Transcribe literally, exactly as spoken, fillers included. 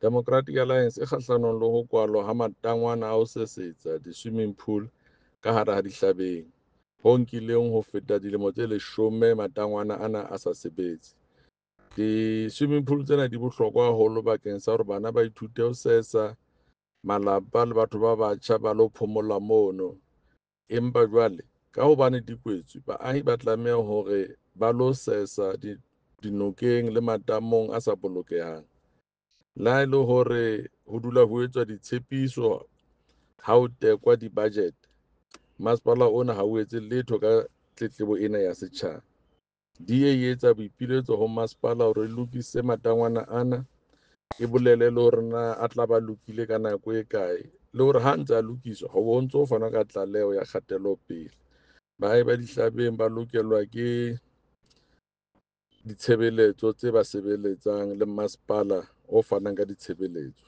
Democratic Alliance e kgahlanong le ho kwalwa ha matangwana a ho sesetsa, di-swimming pool, ka hara ha Dihlabeng, ho nkileng ho feta dilemo tse leshome matangwana ana a sa sebetse. Di-swimming pool tsena di bohlokwa haholo bakeng sa hore bana ba ithute ho sesa, malapa le batho ba batjha ba lo phomola mono. Empa jwale ka hobane di kwetswe, baahi ba tlameha hore ba lo sesa dinokeng le matamong a sa bolokehang. Le ha e le hore ho dula ho etswa ditshepiso ha ho tekwa di-budget, masepala ona ha o etse letho ka tletlebo ena ya setjhaba. D A e etsa boipiletso ho masepala hore e lokise matangwana ana, e bolele le hore na a tla ba lokile ka nako e kae, le hore ha ntse a lokiswa ho bo ntso fanwa ka tlaleho ya kgatelopele. Baahi ba Dihlabeng ba lokelwa ke ditshebeletso tse ba sebeletsang le masepala o fanang ka ditshebeletso.